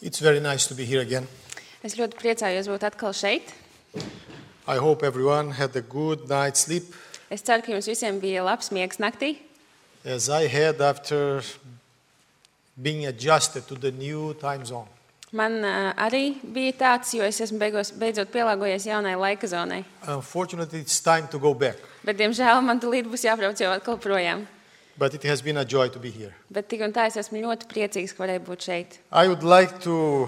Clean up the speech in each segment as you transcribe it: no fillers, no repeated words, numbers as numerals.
It's very nice to be here again. Es ļoti priecājos būt atkal šeit. I hope everyone had a good night's sleep, Es ceru, ka jums visiem bija labs miegs naktī, as I had after being adjusted to the new time zone. Man arī bija tāds, jo es esmu beidzot pielāgojies jaunai laika zonai. Unfortunately, it's time to go back, Bet, diemžēl, man tūlīt būs jābrauc jau atkal projām. but it has been a joy to be here. Bet tik un tā es esmu ļoti priecīgs, ka varēju būt šeit. I would like to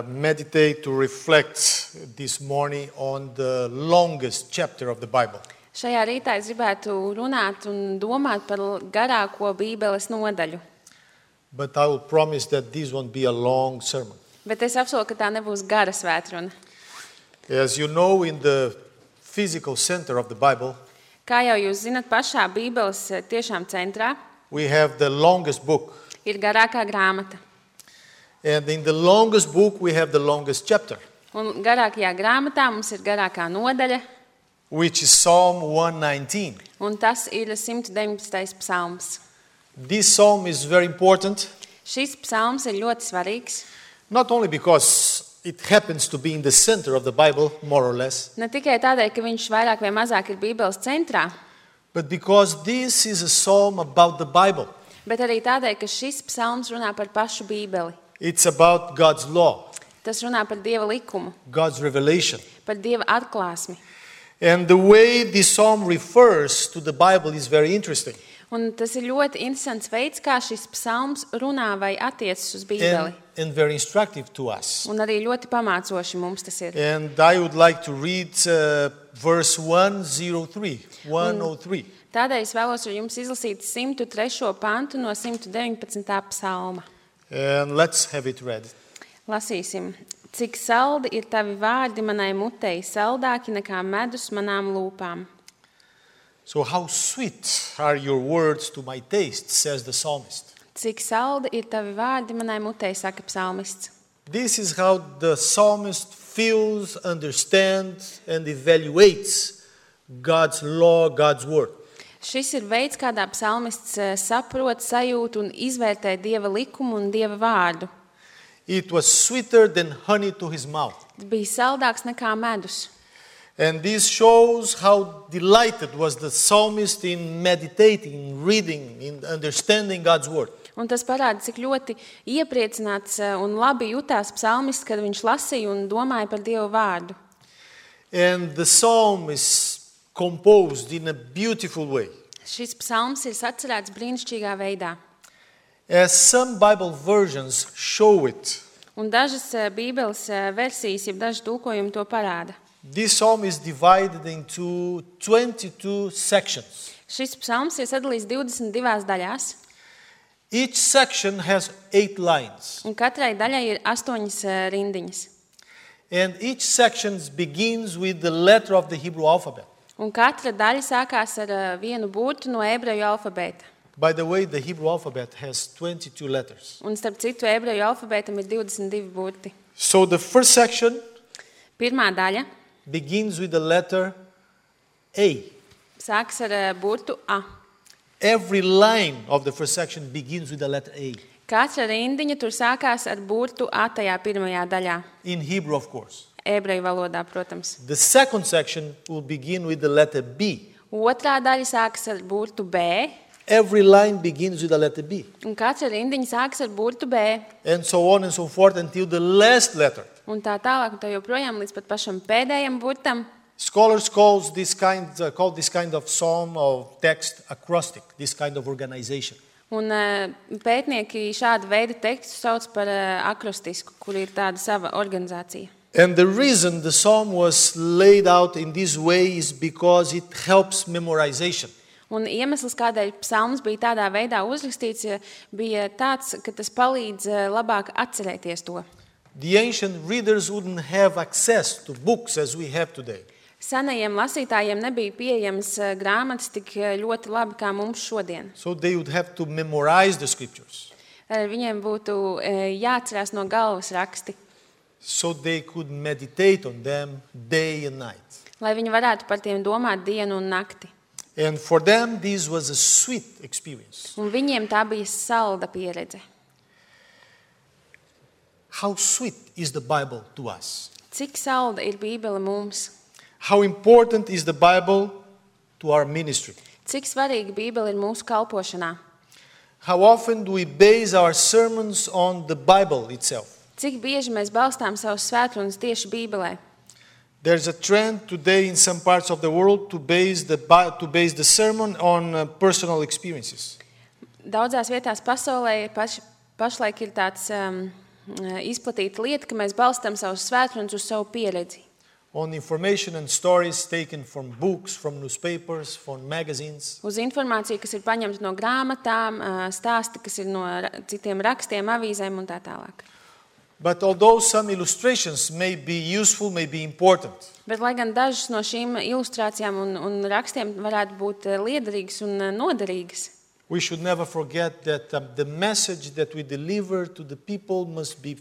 meditate, to reflect this morning on the longest chapter of the Bible. Šajā rītā es gribētu runāt un domāt par garāko Bībeles nodaļu. But I will promise that this won't be a long sermon. Bet es apsolu, ka tā nebūs gara svētruna. As you know, in the physical center of the Bible, Kā jau jūs zinat, pašā Bībeles tiešām centrā we have the longest book. ir garākā grāmata. And in the longest book, we have the longest chapter, Un garākajā grāmatā mums ir garākā nodaļa, which is Psalm 119. un tas ir 119. psalms. This psalm is very important, Šis psalms ir ļoti svarīgs, not only because it happens to be in the center of the Bible, more or less, ne tikai tādēļ, ka viņš vairāk vai mazāk ir Bībeles centrā, but because this is a psalm about the Bible. bet arī tādēļ, ka šis psalms runā par pašu Bībeli. It's about God's law, Tas runā par Dieva likumu, God's revelation. par Dieva atklāsmi. And the way this psalm refers to the Bible is very interesting Un tas ir ļoti interesants veids, kā šis psalms runā vai attiecas uz Bībeli. and very instructive to us. Un arī ļoti pamācoši mums tas ir. And I would like to read verse 103. Tādēļ es vēlos ar jums izlasīt 103. pantu no 119. psalma. And let's have it read. Lasīsim. Cik saldi ir tavi vārdi manai mutei, saldāki nekā medus manām lūpām. So how sweet are your words to my taste, says the psalmist. Cik saldi ir tavi vārdi manai mutei, saka psalmists. This is how the psalmist feels, understands, and evaluates God's law, God's word. Šis ir veids, kādā psalmists saprot, sajūt un izvērtē Dieva likumu un Dieva vārdu. It was sweeter than honey to his mouth. Tas bija saldāks nekā medus. And this shows how delighted was the psalmist in meditating, in reading, in understanding God's word. Un tas parāda, cik ļoti iepriecināts un labi jutās psalmists, kad viņš lasīja un domāja par Dieva vārdu. And the psalm is composed in a beautiful way. Šis psalms ir sacerēts brīnišķīgā veidā. As some Bible versions show it, Un dažas Bībeles versijas, jeb daži tulkojumi to parāda. this psalm is divided into 22 sections. Šis psalms ir sadalīts 22 daļās, Each section has 8 lines. un katrai daļai ir 8 rindiņas. And each section begins with the letter of the Hebrew alphabet. Un katra daļa sākās ar vienu burtu no ebreju alfabēta. By the way, the Hebrew alphabet has 22 letters. Un starp citu, ebreju alfabētam ir 22 burti. So the first section Pirmā daļa begins with the letter A. sākas ar burtu A. Every line of the first section begins with the letter A. Katra rindiņa tur sākās ar burtu A tajā pirmajā daļā. In Hebrew, of course. Ebreju valodā, protams. The second section will begin with the letter B. Otrā daļa sākas ar burtu B, Every line begins with the letter B. un katra rindiņa sākas ar burtu B. And so on and so forth until the last letter. Un tā tālāk, un tā joprojām līdz pat pašam pēdējam burtam. Scholars call this kind of psalm of text acrostic, this kind of organization. Un pētnieki šādu veidu tekstu sauc par akrostisku, kur ir tāda sava organizācija. And the reason the psalm was laid out in this way is because it helps memorization. Un iemesls, kādēļ psalms bija tādā veidā uzrakstīts, bija tāds, ka tas palīdz labāk atcerēties to. The ancient readers wouldn't have access to books as we have today. Senajiem lasītājiem nebija pieejamas grāmatas tik ļoti labi kā mums šodien. So they would have to memorize the scriptures. Viņiem būtu jāatcerās no galvas raksti, So they could meditate on them day and night. lai viņi varētu par tiem domāt dienu un nakti. And for them, this was a sweet experience. Un viņiem tā bija salda pieredze. how sweet is the Bible to us? Cik salda ir Bībele mums? How important is the Bible to our ministry? Cik svarīga Bībele ir mūsu kalpošanā? How often do we base our sermons on the Bible itself? Cik bieži mēs balstām savus svētrunas tieši Bībelē? There's a trend today in some parts of the world to base the sermon on personal experiences. Daudzās vietās pasaulē pašlaik ir tāds izplatīta lieta, ka mēs balstām savus svētrunas uz savu pieredzi. On information and stories taken from books, from newspapers, from magazines. Uz informāciju, kas ir paņemta no grāmatām, stāsti, kas ir no citiem rakstiem, avīzēm un tā tālāk. But although some illustrations may be useful, may be important, Bet, lai gan dažas no šīm ilustrācijām un rakstiem varētu būt liederīgas un noderīgas, we should never forget that the message that we deliver to the people must be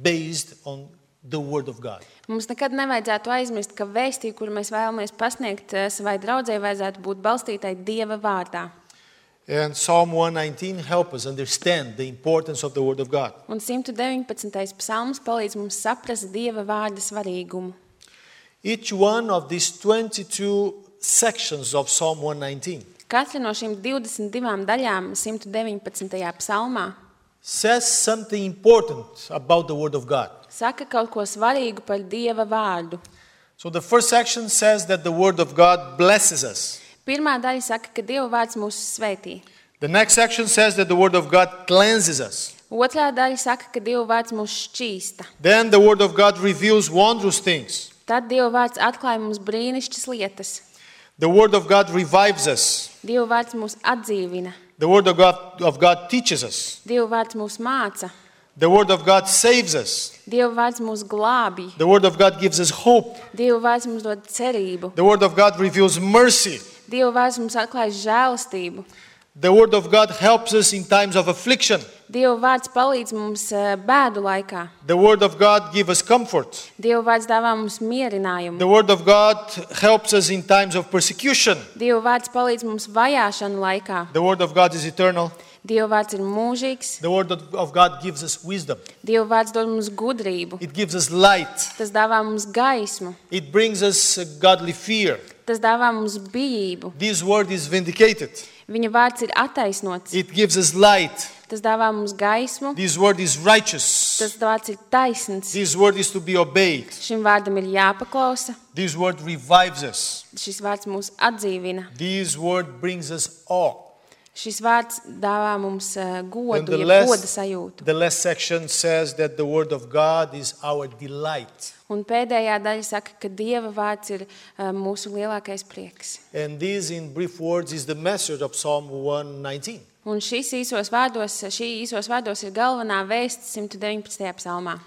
based on the Word of God. mums nekad nevajadzētu aizmirst, ka vēstī, kur mēs vēlamies pasniegt savai draudzei, vajadzētu būt balstītai Dieva vārdā. And Psalm 119 helps us understand the importance of the Word of God. Un 119. psalms palīdz mums saprast Dieva vārda svarīgumu. Each one of these 22 sections of Psalm 119 Katra no šīm 22 daļām 119. psalmā says something important about the Word of God. saka kaut ko svarīgu par Dieva vārdu. So the first section says that the Word of God blesses us. Pirmā daļa saka, ka Dieva vārds mūs svētī. The next section says that the Word of God cleanses us. Otrā daļa saka, ka Dieva vārds mūs šķīsta. Then the Word of God reveals wondrous things. Tad Dieva vārds atklāja mums brīnišķas lietas. The Word of God revives us. Dieva vārds mūs atdzīvina. The Word of God teaches us. Dieva vārds mūs māca. The Word of God saves us. Dieva vārds mūs glābj. The Word of God gives us hope. Dieva vārds mums dod cerību. The Word of God reveals mercy. Dieva vārds mums atklāja žēlastību. The Word of God helps us in times of affliction. Dieva vārds palīdz mums bēdu laikā. The Word of God gives us comfort. Dieva vārds dāvā mums mierinājumu. The Word of God helps us in times of persecution. Dieva vārds palīdz mums vajāšanu laikā. The Word of God is eternal. Dieva vārds ir mūžīgs. The Word of God gives us wisdom. Dieva vārds dod mums gudrību. It gives us light. Tas dāvā mums gaismu. It brings us godly fear. Tas dāvā mums bijību. This Word is vindicated. Viņa vārds ir attaisnots. It gives us light. Tas dāvā mums gaismu. This Word is righteous. Tas vārds ir taisns. This Word is to be obeyed. Šim vārdam ir jāpaklausa. This Word revives us. Šis vārds mūs atdzīvina. This Word brings us awe. Šis vārds dāvā mums And godu, the goda sajūtu. the last section says that the Word of God is our delight. Un pēdējā daļa saka, ka Dieva vārds ir mūsu lielākais prieks. And this, in brief words, is the message of Psalm 119. Un šī īsos vārdos ir galvenā vēsts 119. psalmā.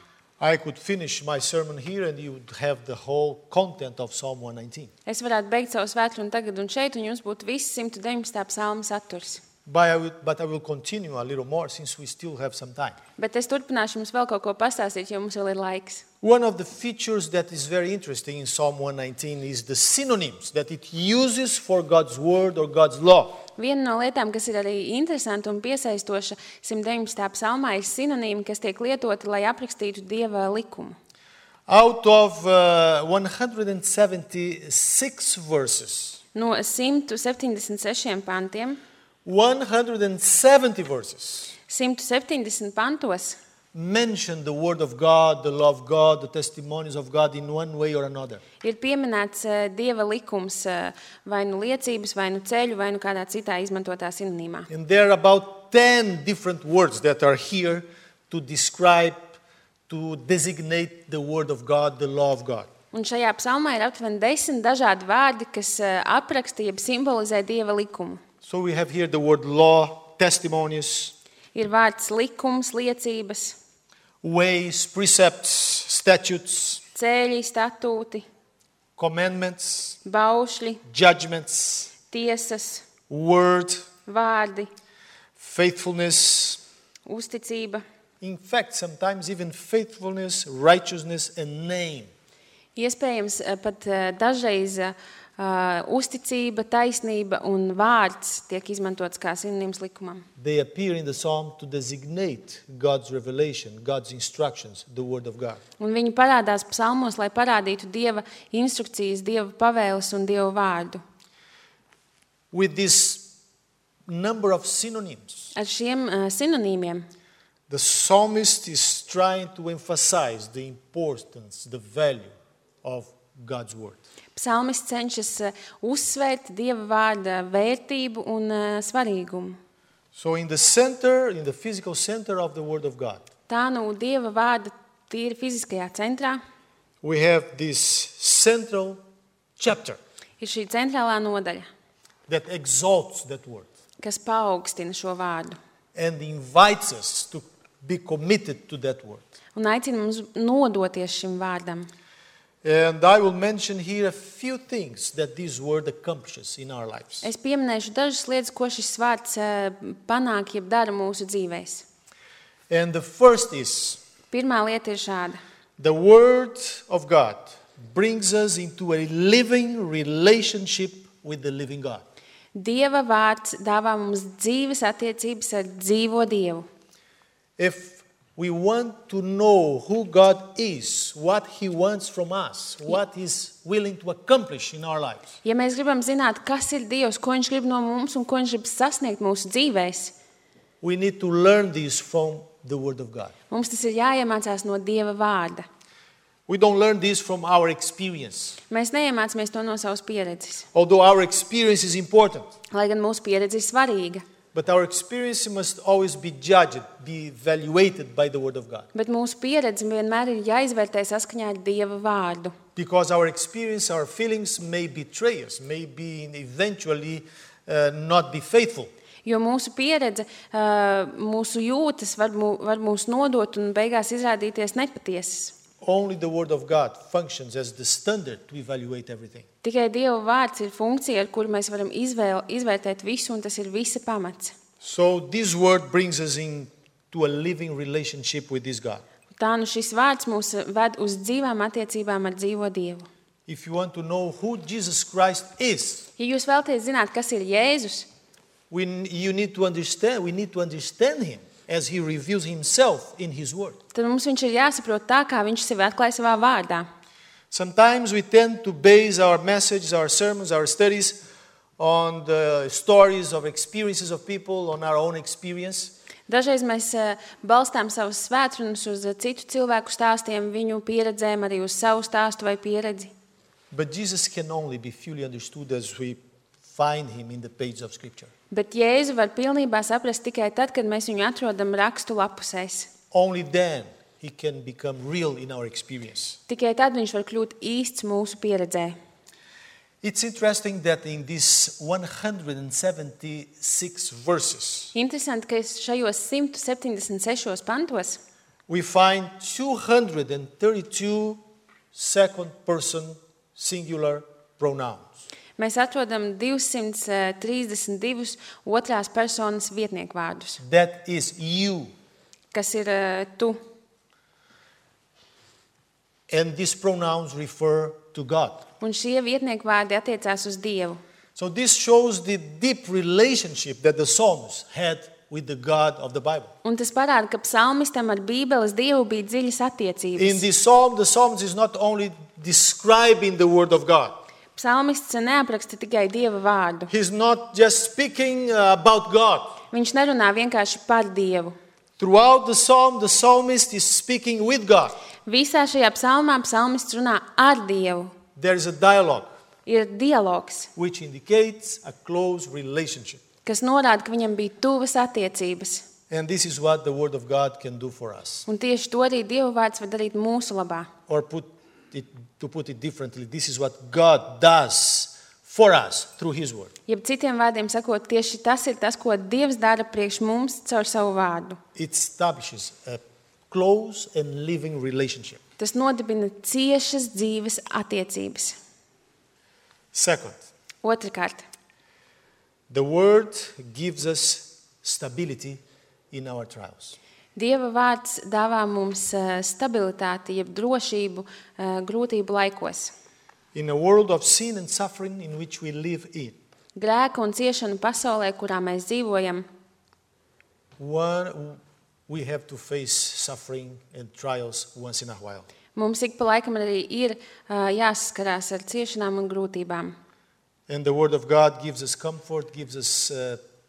I could finish my sermon here and you would have the whole content of Psalm 119. Es varētu beigt savu svētkrunu tagad un šeit, un jums būtu viss 119. psalma saturs. But I will continue a little more since we still have some time. Bet es turpināšu jums vēl kaut ko pastāstīt, jo mums vēl ir laiks. One of the features that is very interesting in Psalm 119 is the synonyms that it uses for God's word or God's law. Viena no lietām, kas ir arī interesanta un piesaistoša 119. psalmā, ir sinonīmi, kas tiek lietoti, lai aprakstītu Dieva likumu. Out of 176 verses, No 176 pantiem, 170 verses 170 pantos mention the word of God, the law of God, the testimonies of God in one way or another. ir pieminēts Dieva likums, vai nu liecības, vai nu ceļu, vai nu kādā citā izmantotā sinonīmā. And there are about 10 different words that are here to describe, to designate the word of God, the law of God. Un šajā psalmā ir aptuveni 10 dažādi vārdi, kas apraksta, jeb simbolizē Dieva likumu. So we have here the word law, testimonies, Ir vārds likums, liecības, ways, precepts, statutes, ceļi, statūti, commandments, baušļi, judgments, tiesas, word, vārdi, faithfulness. uzticība. In fact, sometimes even faithfulness, righteousness, and name. Iespējams, pat dažreiz uzticība, taisnība un vārds tiek izmantots kā sinonīms likumam. They appear in the psalm to designate God's revelation, God's instructions, the word of God. Un viņi parādās psalmos, lai parādītu Dieva instrukcijas, Dieva pavēles un Dieva vārdu. With this number of synonyms, Ar šiem sinonīmiem the psalmist is trying to emphasize the importance, the value of God's word. psalmists cenšas uzsvērt Dieva vārda vērtību un svarīgumu. So in the center, in the physical center of the word of God, Tā nu Dieva vārda tīri fiziskajā centrā we have this central chapter ir šī centrālā nodaļa, that exalts that word kas paaugstina šo vārdu and invites us to be committed to that word. un aicina mums nodoties šim vārdam. And I will mention here a few things that this word accomplishes in our lives. Es pieminēšu dažas lietas, ko šis vārds panāk, jeb dara mūsu dzīvēs. And the first is, Pirmā lieta ir šāda. the word of God brings us into a living relationship with the living God. Dieva vārds dāvā mums dzīves attiecības ar dzīvo Dievu. If we want to know who God is, what He wants from us, what He's willing to accomplish in our lives, Ja mēs gribam zināt, kas ir Dievs, ko Viņš grib no mums un ko Viņš grib sasniegt mūsu dzīvēs, we need to learn this from the Word of God. mums tas ir jāiemācās no Dieva vārda. We don't learn this from our experience, Mēs neiemācāmies to no savas pieredzes, although our experience is important. lai gan mūsu pieredze ir svarīga. But our experience must always be judged, be evaluated by the Word of God. Bet mūsu pieredze vienmēr ir jāizvērtē saskaņā ar Dieva vārdu. Because our experience, our feelings may betray us, may be eventually not be faithful. Jo mūsu pieredze, mūsu jūtas var mūs nodot un beigās izrādīties nepatiesas. Only the Word of God functions as the standard to evaluate everything. Tikai Dieva vārds ir funkcija, ar kuru mēs varam izvērtēt visu, un tas ir visa pamats. So this word brings us into a living relationship with this God. Tā nu šis vārds mūs ved uz dzīvām attiecībām ar dzīvo Dievu. If you want to know who Jesus Christ is, Ja jūs vēlaties zināt, kas ir Jēzus, we need to understand Him as He reveals Himself in His Word. tad mums viņš ir jāsaprot tā, kā viņš sevi atklāja savā vārdā. Sometimes we tend to base our messages, our sermons, our studies on the stories of experiences of people, on our own experience. Dažreiz mēs balstām savus svētrunas uz citu cilvēku stāstiem, viņu pieredzēm, arī uz savu stāstu vai pieredzi. But Jesus can only be fully understood as we find Him in the pages of Scripture. Bet Jēzu var pilnībā saprast tikai tad, kad mēs viņu atrodam rakstu lapusēs. Only then He can become real in our experience. Tikai tad viņš var kļūt īsts mūsu pieredzē. It's interesting that in these 176 verses, Interesanti, ka šajos 176 pantos we find 232 second person singular pronouns. mēs atrodam 232 otrās personas vietnieku vārdus, That is you. kas ir tu. And these pronouns refer to God. Un šie vietnieku vārdi attiecās uz Dievu. So this shows the deep relationship that the psalmist had with the God of the Bible. Un tas parāda, ka psalmistam ar Bībeles Dievu bija dziļas attiecības. In this psalm, the psalmist is not only describing the Word of God. Psalmists neapraksta tikai Dieva vārdu. He's not just speaking about God. Viņš nerunā vienkārši par Dievu. Throughout the psalm, the psalmist is speaking with God. Visā šajā psalmā psalmists runā ar Dievu. There is a dialogue Ir dialogs, which indicates a close relationship. kas norāda, ka viņam bija tuvas attiecības. And this is what the Word of God can do for us. Un tieši to arī Dieva vārds var darīt mūsu labā. Or to put it differently, this is what God does for us through His Word. Jeb citiem vārdiem sakot, tieši tas ir tas, ko Dievs dara priekš mums caur savu vārdu. It establishes a close and living relationship. Tas nodibina ciešas dzīves attiecības. Second, Otrakārt, the Word gives us stability in our trials. Dieva vārds dāvā mums stabilitāti, jeb drošību grūtību laikos. In a world of sin and suffering in which we live in, grēka un ciešanu pasaulē, kurā mēs dzīvojam, we have to face suffering and trials once in a while. mums ik pa laikam arī ir jāsaskarās ar ciešanām un grūtībām. And the Word of God gives us comfort, gives us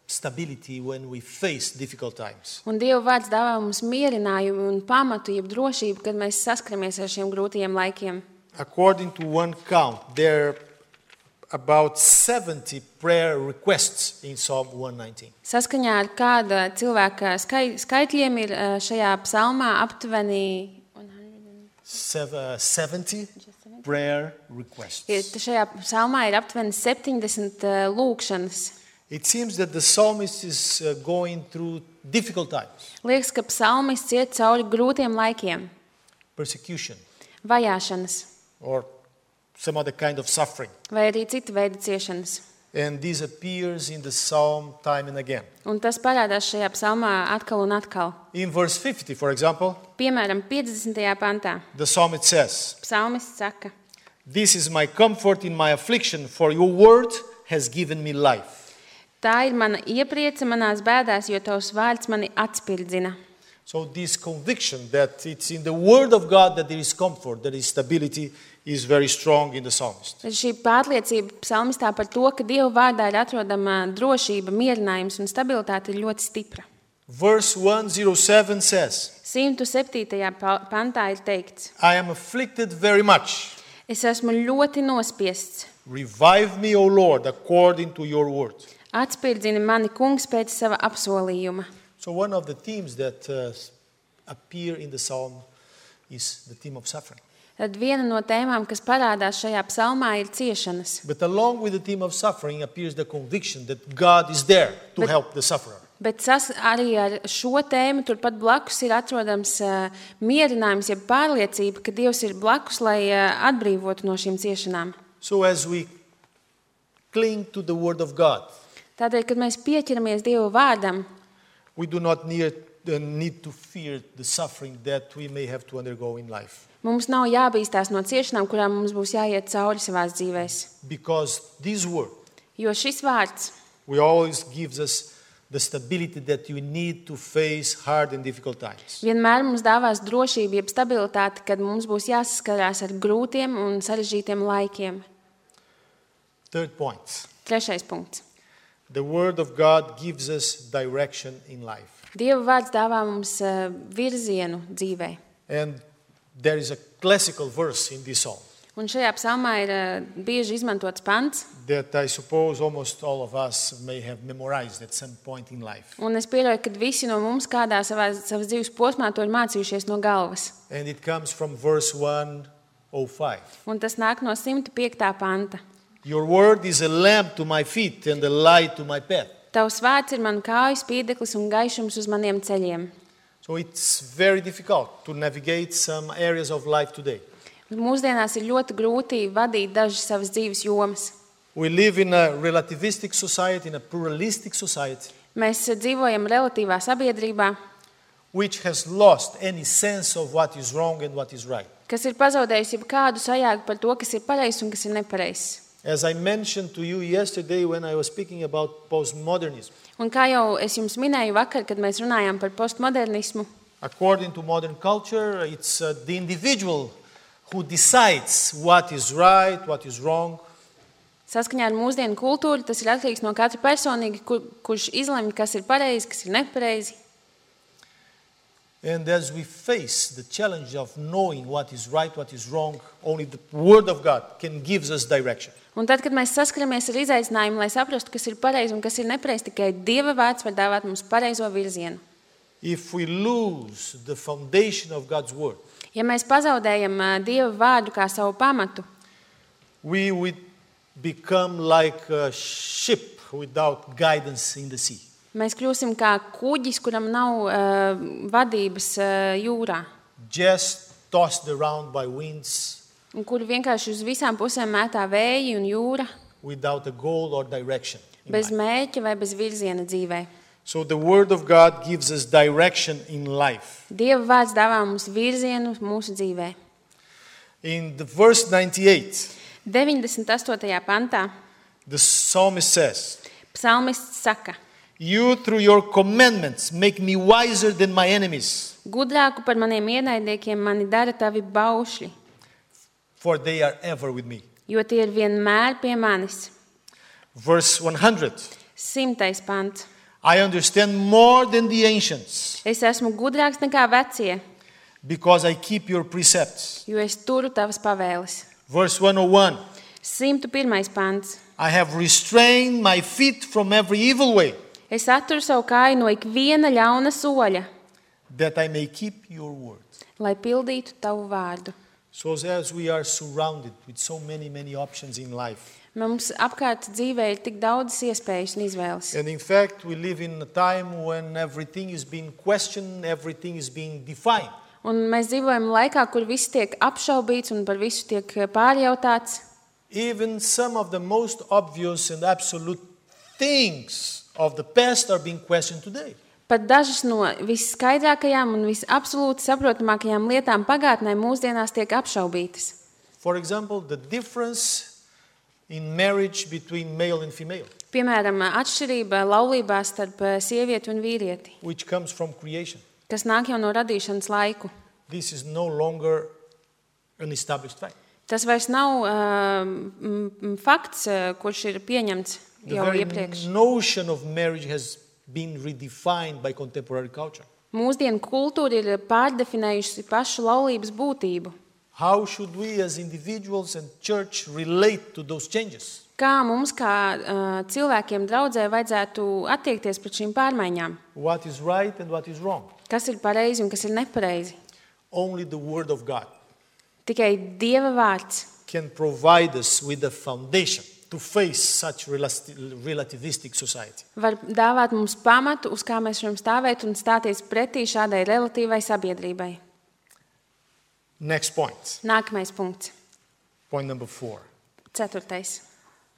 stability when we face difficult times. Un Dieva vārds dāvā mums mierinājumu un pamatu, jeb drošību, kad mēs saskaramies ar šiem grūtajiem laikiem. According to one count, there are about 70 prayer requests in Psalm 119. Saskaņā ar kāda cilvēka skaitļiem ir šajā psalmā aptuveni 70 prayer requests. Šajā psalmā ir aptuveni 70 lūkšanas. It seems that the psalmist is going through difficult times, Liekas, ka psalmists iet cauri grūtiem laikiem, persecution, vajāšanas or some other kind of suffering. vai arī cita veida ciešanas. And this appears in the psalm time and again. Un tas parādās šajā psalmā atkal un atkal. In verse 50, for example, Piemēram, 50. pantā the psalmist says, psalmists saka: "This is my comfort in my affliction, for your word has given me life." Tā ir mana iepriece manās bēdās, jo tavs vārds mani atspirdzina. So this conviction that it's in the word of God that there is comfort, there is stability, is very strong in the psalmist. Šī pārliecība psalmistā par to, ka Dieva vārdā ir atrodama drošība, mierinājums un stabilitāte, ir ļoti stipra. Verse 107 says, 107. pantā ir teikts: "I am afflicted very much. Es esmu ļoti nospiests. Revive me, O Lord, according to your word." Atspirdzini mani, kungs, pēc sava apsolījuma. So one of the themes that appear in the psalm is the theme of suffering. Tad viena no tēmām, kas parādās šajā psalmā, ir ciešanas. But along with the theme of suffering appears the conviction that God is there to help the sufferer. Bet arī ar šo tēmu turpat blakus ir atrodams mierinājums, jeb pārliecība, ka Dievs ir blakus, lai atbrīvotu no šīm ciešanām. So as we cling to the word of God, Tādēļ, kad mēs pieķeramies Dieva vārdam, we do not need to fear the suffering that we may have to undergo in life. mums nav jābīstās no ciešanām, kurām mums būs jāiet cauri savās dzīvēs. Because this word Jo šis vārds always gives us the stability that you need to face hard and difficult times. vienmēr mums dāvās drošību, jeb stabilitāti, kad mums būs jāsaskarās ar grūtiem un sarežģītiem laikiem. Third point. 3. punkts. The word of God gives us direction in life. Dieva vārds dāvā mums virzienu dzīvē. And there is a classical verse in this psalm Un šajā psalmā ir bieži izmantots pants, that I suppose almost all of us may have memorized at some point in life. un es pieļauju, ka visi no mums kādā savas dzīves posmā to ir mācījušies no galvas. And it comes from verse 105. Un tas nāk no 105. panta. Your word is a lamp to my feet and a light to my path. Tavs vārds ir man kāju spīdeklis un gaišums uz maniem ceļiem. So it's very difficult to navigate some areas of life today. Mūsdienās ir ļoti grūti vadīt dažas savas dzīves jomas. We live in a relativistic society, in a pluralistic society, Mēs dzīvojam relatīvā sabiedrībā, which has lost any sense of what is wrong and what is right. kas ir pazaudējusi jebkādu sajēgu par to, kas ir pareizs un kas ir nepareizs. As I mentioned to you yesterday when I was speaking about postmodernism, Un kā jau es jums minēju vakar, kad mēs runājām par postmodernismu, according to modern culture, it's the individual who decides what is right, what is wrong. saskaņā ar mūsdienu kultūru, tas ir atkarīgs no katra personīgi, kurš izlemj, kas ir pareizi, kas ir nepareizi. And as we face the challenge of knowing what is right, what is wrong, only the Word of God can give us direction. Un tad, kad mēs saskaramies ar izaicinājumu, lai saprastu, kas ir pareizi un kas ir nepareizi, tikai Dieva vārds var dāvāt mums pareizo virzienu. If we lose the foundation of God's Word, Ja mēs pazaudējam Dieva vārdu kā savu pamatu, we would become like a ship without guidance in the sea. mēs kļūsim kā kuģis, kuram nav vadības jūrā, Just tossed around by winds un kur vienkārši uz visām pusēm mētā vēji un jūra, without a goal or direction. in bez life. mērķa vai bez virziena dzīvē. So the Word of God gives us direction in life. Dieva vārds dāvā mums virzienu mūsu dzīvē. In the verse 98, 98. pantā the psalmist says, psalmists saka: "You through your commandments make me wiser than my enemies, Gudrāku par maniem ienaidniekiem mani dara tavi baušļi, for they are ever with me." jo tie ir vienmēr pie manis. Verse 100, 100. pants. "I understand more than the ancients, Es esmu gudrāks nekā vecie, because I keep your precepts." jo es turu tavas pavēles. Verse 101, 101. pants. "I have restrained my feet from every evil way, Es atturu savu kāju no ikviena ļauna soļa, that I may keep your word." lai pildītu tavu vārdu. So as we are surrounded with so many options in life, Mums apkārt dzīvē ir tik daudzas iespējas un izvēles. and in fact we live in a time when everything is being questioned, everything is being defined. Un mēs dzīvojam laikā, kur viss tiek apšaubīts un par visu tiek pārjautāts. Even some of the most obvious and absolute things of the past are being questioned today. Pat dažas no visskaidrākajām un visabsolūti saprotamākajām lietām pagātnē mūsdienās tiek apšaubītas. For example, the difference in marriage between male and female, Piemēram, atšķirība laulībā starp sievieti un vīrieti, which comes from creation. kas nāk jau no radīšanas laiku. This is no longer an established fact. Tas vairs nav fakts, kurš ir pieņemts The jau very iepriekš. notion of marriage has been redefined by contemporary culture. Mūsdienu kultūra ir pārdefinējusi pašu laulības būtību. How should we as individuals and church relate to those changes? Kā mums, kā cilvēkiem draudzē, vajadzētu attiekties pret šīm pārmaiņām? What is right and what is wrong? Kas ir pareizi un kas ir nepareizi? Only the Word of God Tikai Dieva vārds can provide us with a foundation to face such relativistic society. var dāvāt mums pamatu, uz kā mēs varam stāvēt un stāties pretī šādai relatīvai sabiedrībai. Next point, Nākamais punkts. point number 4. 4.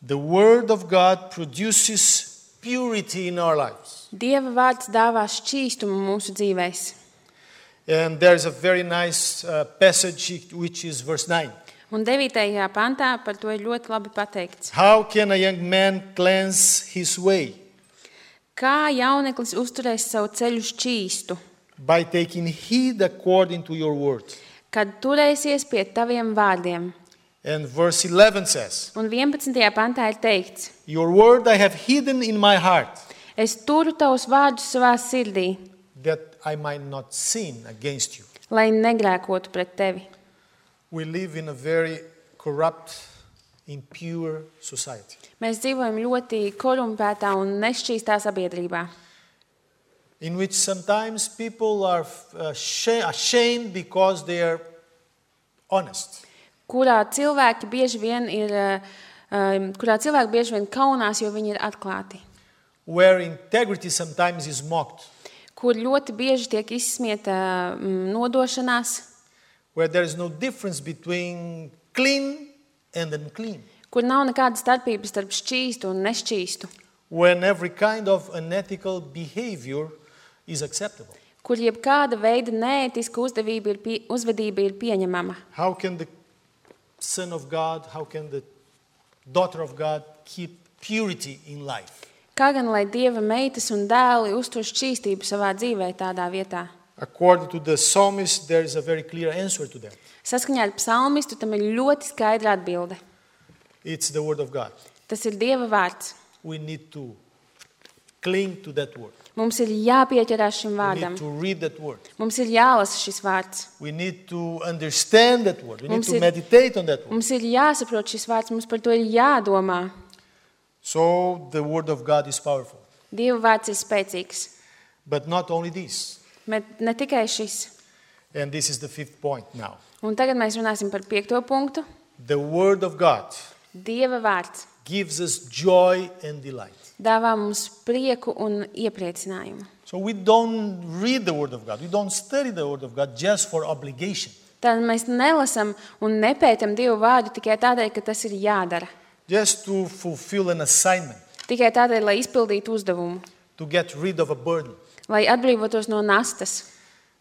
The Word of God produces purity in our lives. Dieva vārds dāvā šķīstumu mūsu dzīvēs. And there's a very nice passage which is verse 9. Un 9. pantā par to ir ļoti labi pateikts. How can a young man cleanse his way? Kā jauneklis uzturēs savu ceļu šķīstu, By taking heed according to your word. kad turēsies pie taviem vārdiem? And verse 11 says, Un 11. pantā ir teikts: Your word I have hidden in my heart, Es turu tavus vārdus savā sirdī, that I might not sin against you. lai negrēkotu pret tevi. We live in a very corrupt, impure society. Mēs dzīvojam ļoti korumpētā un nešķīstā sabiedrībā, In which sometimes people are ashamed because they are honest. kurā cilvēki bieži vien kaunās, jo viņi ir atklāti, Where integrity sometimes is mocked. kur ļoti bieži tiek izsmieta nodošanās, Where there is no difference between clean and unclean. kur nav nekāda starpība starp šķīstu un nešķīstu, When every kind of unethical behavior is acceptable. kur jebkāda veida neētiska uzvedība ir pieņemama. How can the Son of God, how can the daughter of God keep purity in life? Kā gan lai Dieva meitas un dēli uztur šķīstību savā dzīvē tādā vietā? According to the psalmist, there is a very clear answer to that. Saskaņā ar psalmistu tam ir ļoti skaidra atbilde. It's the word of God. Tas ir Dieva vārds. We need to cling to that word. Mums ir jāpieķerās šim We vārdam. need to read that word. Mums ir jālasa šis vārds. We need to understand that word. We need Mums to ir- meditate on that word. Mums ir jāsaprot šis vārds, mums par to ir jādomā. So the word of God is powerful. Dieva vārds ir spēcīgs. But not only this. Bet ne tikai šis. And this is the 5th point now. Un tagad mēs runāsim par 5. punktu. The word of God Dieva vārds gives us joy and delight. dāvā mums prieku un iepriecinājumu. So we don't read the word of God. We don't study the word of God just for obligation. Tad mēs nelasam un nepētam Dieva vārdu tikai tādēļ, ka tas ir jādara. Just to fulfill an assignment, Tikai tādēļ, lai izpildītu uzdevumu, to get rid of a burden. lai atbrīvotos no nastas.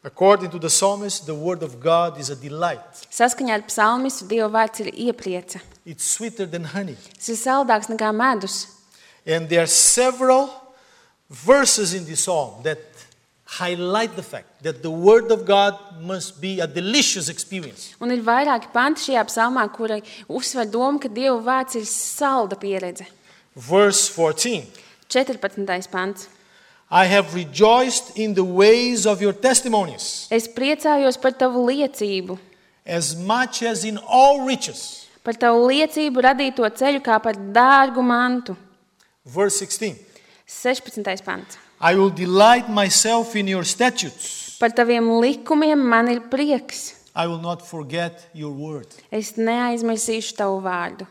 According to the psalmist, the word of God is a delight. Saskaņā ar psalmistu Dieva vārds ir ieprieca. It's sweeter than honey. Tas ir saldāks nekā medus. And there are several verses in this psalm that highlight the fact that the word of God must be a delicious experience. Un ir vairāki panti šajā psalmā, kuri uzsver domu, ka Dieva vārds ir salda pieredze. Verse 14. 14. pants. I have rejoiced in the ways of your testimonies, Es priecājos par tavu liecību, as much as in all riches. par tavu liecību radīto ceļu kā par dārgu mantu. Verse 16. 16. pants. I will delight myself in your statutes. Par taviem likumiem man ir prieks. I will not forget your word. Es neaizmirsīšu tavu vārdu.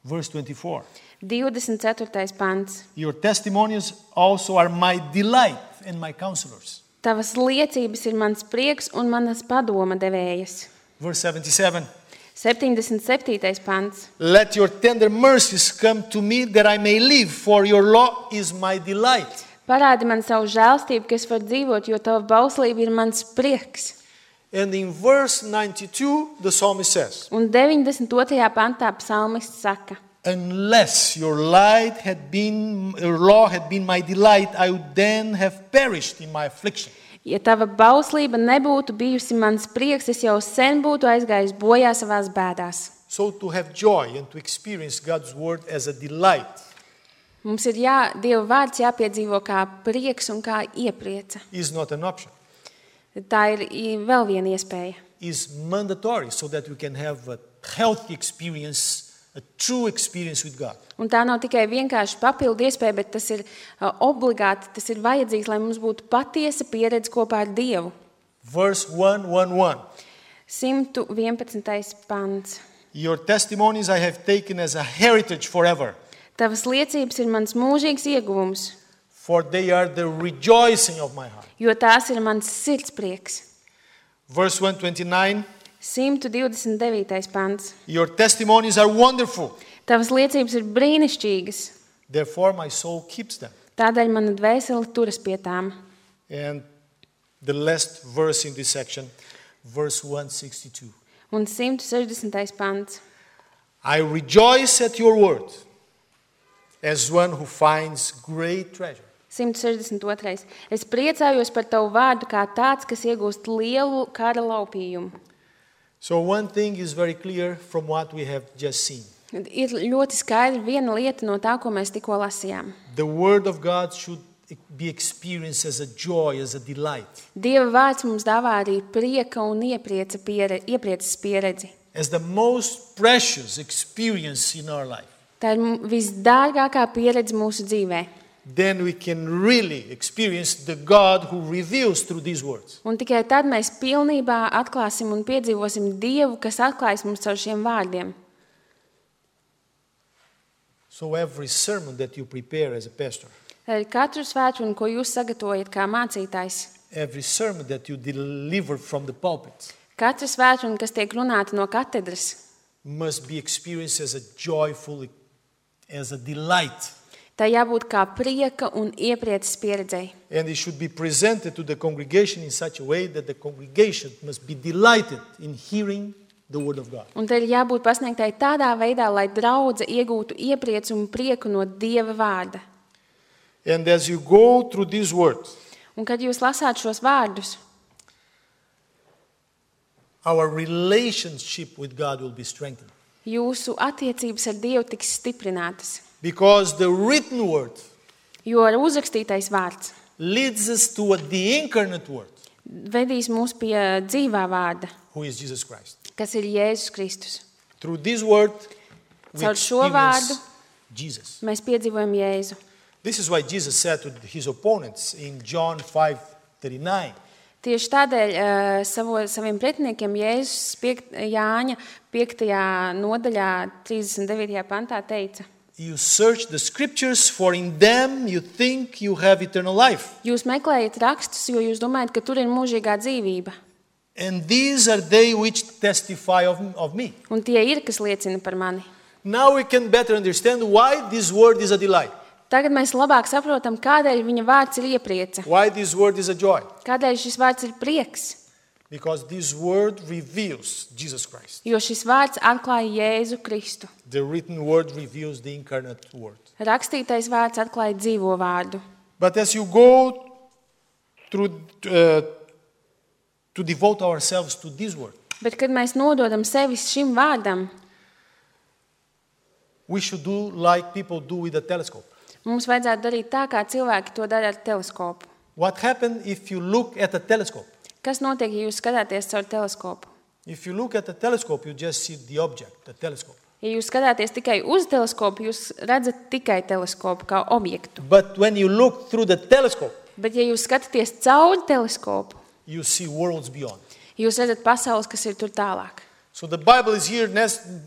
Verse 24. 24. pants. Your testimonies also are my delight and my counselors. Tavas liecības ir mans prieks un manas padoma devējas. Verse 77. 77. pants. Let your tender mercies come to me that I may live, for your law is my delight. Parādi man savu žēlstību, ka es varu dzīvot, jo tava bauslība ir mans prieks. And in verse 92, the psalmist says, Un 92. pantā psalmists saka, unless your law had been my delight, I would then have perished in my affliction. ja tava bauslība nebūtu bijusi mans prieks, es jau sen būtu aizgājis bojā savās bēdās. So to have joy and to experience God's word as a delight Mums ir Dieva vārds jāpiedzīvo kā prieks un kā ieprieca. is not an option. Tā ir vēl viena iespēja. Is mandatory so that we can have a healthy experience, a true experience with God. Un tā nav tikai vienkārši papildu iespēja, bet tas ir obligāti, tas ir vajadzīgs, lai mums būtu patiesa pieredze kopā ar Dievu. Verse 111. 111. pants. Your testimonies I have taken as a heritage forever, Tavas liecības ir mans mūžīgs ieguvums, for they are the rejoicing of my heart. jo tās ir mans sirdsprieks. Verse 129. 129. pants. Your testimonies are wonderful, Tavas liecības ir brīnišķīgas, therefore my soul keeps them. tādēļ mana dvēsele turas pie tām. And the last verse in this section, verse 162. Un 160. pants. I rejoice at your word, as one who finds great treasure. 162. Es priecājos par tavu vārdu kā tāds, kas iegūst lielu kara laupījumu. So one thing is very clear from what we have just seen. Ir ļoti skaidra viena lieta no tā, ko mēs tikko lasījām. The word of God should be experienced as a joy, as a delight, Dieva vārds mums dāvā arī prieka un ieprieces pieredzi. as the most precious experience in our life. Tā ir visdārgākā pieredze mūsu dzīvē. Then we can really experience the God who reveals through these words. Un tikai tad mēs pilnībā atklāsim un piedzīvosim Dievu, kas atklājas mums caur šiem vārdiem. So every sermon that you prepare as a pastor, Tad katru svētdienu, ko jūs sagatavojat kā mācītājs, every sermon that you deliver from the pulpit katru svētdienu, kas tiek runāta no katedras, must be experienced as a joyful, as a delight. tā jābūt kā prieka un ieprieces pieredzei. And it should be presented to the congregation in such a way that the congregation must be delighted in hearing the word of God. Un te ir jābūt pasniegtai tādā veidā, lai draudze iegūtu ieprieci un prieku no Dieva vārda. And as you go through these words, Un kad jūs lasāt šos vārdus, our relationship with God will be strengthened. jūsu attiecības ar Dievu tiks stiprinātas, Because the written word jo ar uzrakstītais vārds leads us to the incarnate word, vedīs mūs pie dzīvā vārda, who is Jesus Christ. kas ir Jēzus Kristus. Through this word, we Caur šo vārdu experience Jesus. mēs piedzīvojam Jēzu. This is why Jesus said to his opponents in John 5:39, Tieši tādēļ saviem pretiniekiem Jēzus Jāņa 5. nodaļā 39. pantā teica: you search the scriptures, for in them you think you have eternal life. Jūs meklējat rakstus, jo jūs domājat, ka tur ir mūžīgā dzīvība. And these are they which testify of me. Un tie ir, kas liecina par mani. Now we can better understand why this word is a delight. Tagad mēs labāk saprotam, kādēļ viņa vārds ir ieprieca. Why this word is a joy? Kādēļ šis vārds ir prieks? Because this word reveals Jesus Christ. Jo šis vārds atklāja Jēzu Kristu. The written word reveals the incarnate word. Rakstītais vārds atklāja dzīvo vārdu. But as you go through to devote ourselves to this word, Bet, kad mēs nododam sevi šim vārdam, we should do like people do with a telescope. mums vajadzētu darīt tā, kā cilvēki to dara ar teleskopu. What happens if you look at a telescope? Kas notiek, ja jūs skatāties caur teleskopu? If you look at a telescope, you just see the object, the telescope. Ja jūs skatāties tikai uz teleskopu, jūs redzat tikai teleskopu kā objektu. But when you look through the telescope, Bet, ja jūs skatāties caur teleskopu, you see worlds beyond. jūs redzat pasaules, kas ir tur tālāk. So the Bible is here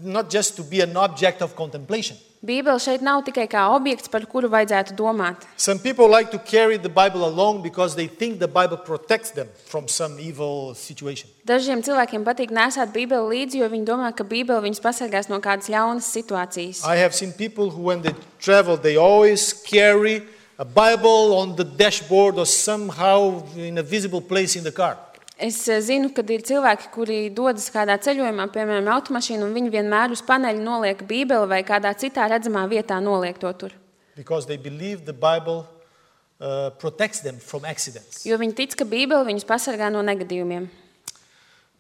not just to be an object of contemplation. Bībele šeit nav tikai kā objekts, par kuru vajadzētu domāt. Some people like to carry the Bible along because they think the Bible protects them from some evil situation. Dažiem cilvēkiem patīk nesāt Bībeli līdzi, jo viņi domā, ka Bībele viņus pasargās no kādas ļaunas situācijas. I have seen people who, when they travel, they always carry a Bible on the dashboard or somehow in a visible place in the car. Es zinu, ka ir cilvēki, kuri dodas kādā ceļojumā, piemēram, automašīnu, un viņi vienmēr uz paneļa noliek Bībeli vai kādā citā redzamā vietā noliek to tur. Because they believe the Bible protects them from accidents. Jo viņi tic, ka Bībele viņus pasargā no negadījumiem.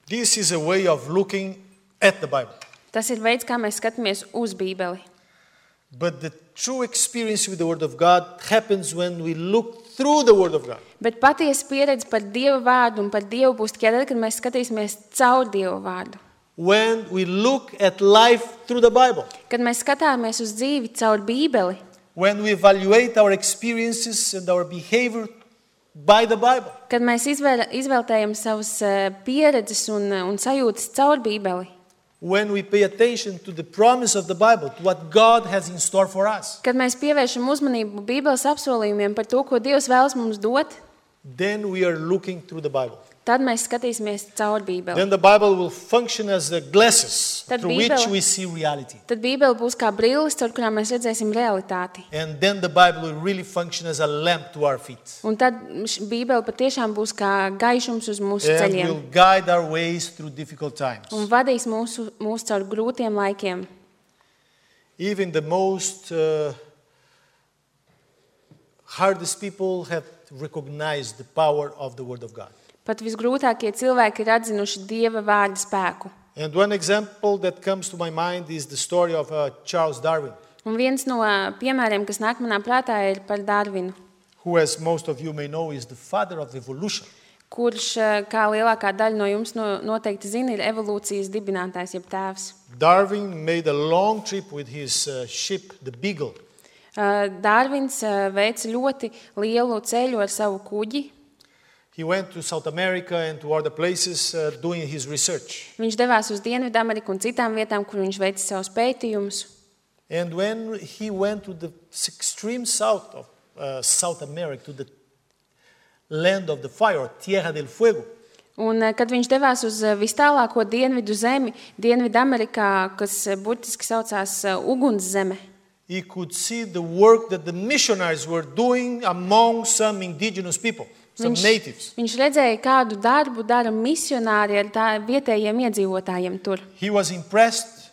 This is a way of looking at the Bible. Tas ir veids, kā mēs skatāmies uz Bībeli. But the true experience with the Word of God happens when we look through the Word of God. Bet patiesa pieredze par Dieva vārdu un par Dievu būs tikai tad, kad mēs skatīsimies caur Dieva vārdu. When we look at life through the Bible. Kad mēs skatāmies uz dzīvi caur Bībeli. When we evaluate our experiences and our behavior by the Bible. Kad mēs izvērtējam savas pieredzes un sajūtas caur Bībeli. When we pay attention to the promise of the Bible, to what God has in store for us. Kad mēs pievēršam uzmanību Bībeles apsolījumiem par to, ko Dievs vēlas mums dot, then we are looking through the Bible. tad mēs skatīsimies caur Bībeli. Then the Bible will function as the glasses Tad through which we see reality. Tad Bībele būs kā brilles, caur kurām mēs redzēsim realitāti. And then the Bible will really function as a lamp to our feet. Un tad Bībele patiešām būs kā gaišums uz mūsu And ceļiem. will guide our ways through difficult times. Un vadīs mūs caur grūtiem laikiem. Even the most hardest people have recognized the power of the Word of God. Pat visgrūtākie cilvēki ir atzinuši Dieva vārda spēku. And one example that comes to my mind is the story of Charles Darwin, Un viens no piemēriem, kas nāk manā prātā, ir par Darvinu, who, as most of you may know, is the father of evolution. kurš, kā lielākā daļa no jums noteikti zina, ir evolūcijas dibinātājs, jeb tēvs. Darwin made a long trip with his ship, the Beagle. Darvins veica ļoti lielu ceļu ar savu kuģi. He went to South America and to other places doing his research. Viņš devās uz Dienvidameriku un citām vietām, kur viņš veica savus pētījumus. And when he went to the extreme south of South America, to the land of the fire, Tierra del Fuego, Un, kad viņš devās uz vistālāko dienvidu zemi, Dienvidamerikā, kas burtiski saucās Ugunszeme, he could see the work that the missionaries were doing among some indigenous people, some natives. Viņš redzēja, kādu darbu dara misionāri ar vietējiem iedzīvotājiem tur. He was impressed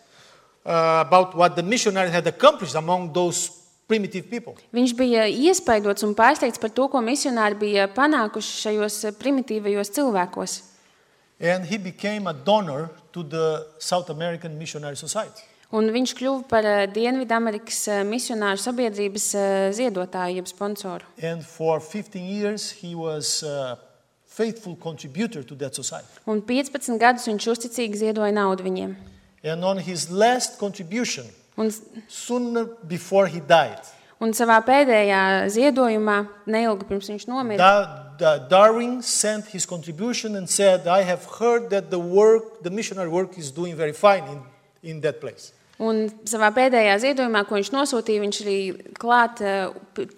about what the missionaries had accomplished among those primitive people. Viņš bija iespaidots un pārsteigts par to, ko misionāri bija panākuši šajos primitīvajos cilvēkos. And he became a donor to the South American Missionary Society. Un viņš kļuva par Dienvidamerikas misionāru sabiedrības ziedotāju, jeb sponsoru. And for 15 years he was a faithful contributor to that society. Un 15 gadus viņš uzticīgi ziedoja naudu viņiem. And on his last contribution, Un, soon before he died, un savā pēdējā ziedojumā, neilgi pirms viņš nomira, Darwin sent his contribution and said, I have heard that the missionary work is doing very fine in that place. un savā pēdējā ziedojumā, ko viņš nosūtīja, viņš arī klāt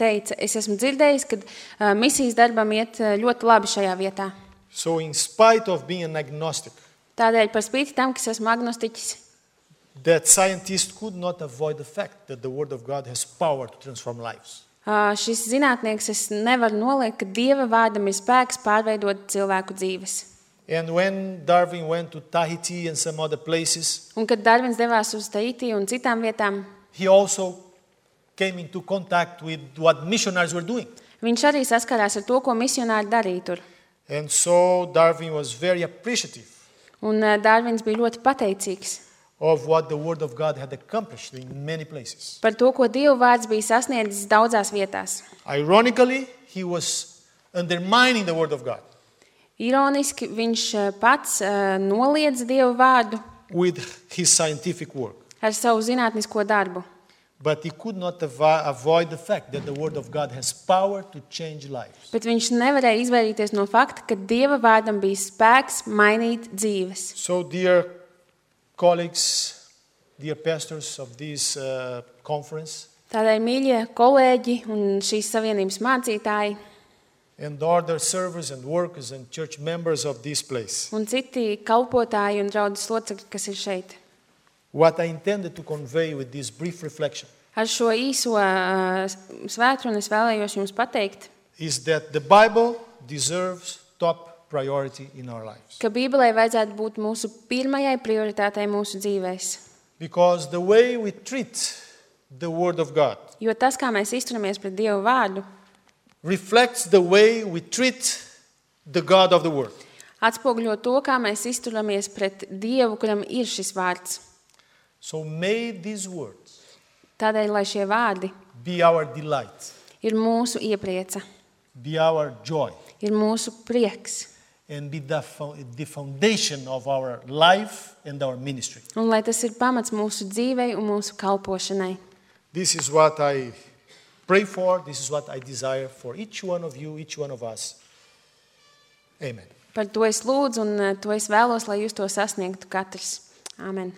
teica, es esmu dzirdējis, ka misijas darbam iet ļoti labi šajā vietā. So in spite of being an agnostic, Tādēļ par spīti tam, ka es esmu agnostiķis, that scientists could not avoid the fact that the Word of God has power to transform lives. Šis zinātnieks, es nevaru noliekt, ka Dieva vārdam ir spēks pārveidot cilvēku dzīves. And when Darwin went to Tahiti and some other places, Un kad Darvins devās uz Tahiti un citām vietām, he also came into contact with what missionaries were doing. viņš arī saskarās ar to, ko misionāri darīja tur. And so Darwin was very appreciative Un Darvins bija ļoti pateicīgs of what the Word of God had accomplished in many places. par to, ko Dieva vārds bija sasniedzis daudzās vietās. Ironically, he was undermining the Word of God Ironiski viņš pats noliedza Dieva vārdu with his scientific work. ar savu zinātnisko darbu. But he could not avoid the fact that the Word of God has power to change lives. Bet viņš nevarēja izvairīties no fakta, ka Dieva vārdam bija spēks mainīt dzīves. So, dear colleagues, dear pastors of this conference, Tādēļ, mīļie kolēģi un šīs savienības mācītāji and other servers and workers and church members of this place, un citi kalpotāji un draudzes locekļi, kas ir šeit. what I intended to convey with this brief reflection Ar šo īso svētkruni es vēlējos jums pateikt, is that the Bible deserves top priority in our lives. ka Bībelē vajadzētu būt mūsu pirmajai prioritātei mūsu dzīvēs. Because the way we treat the Word of God Jo tas, kā mēs izturamies pret Dievu vārdu, reflects the way we treat the God of the Word. atspoguļo to, kā mēs izturamies pret Dievu, kuram ir šis vārds. So may these words Tādēļ, lai šie vārdi be our delight, ir mūsu ieprieca, be our joy, ir mūsu prieks, and be the foundation of our life and our ministry. un lai tas ir pamats mūsu dzīvei un mūsu kalpošanai. This is what I pray for. This is what I desire for each one of you, each one of us. Amen. Par to es lūdzu un to es vēlos, lai jūs to sasniegtu katrs. Āmen.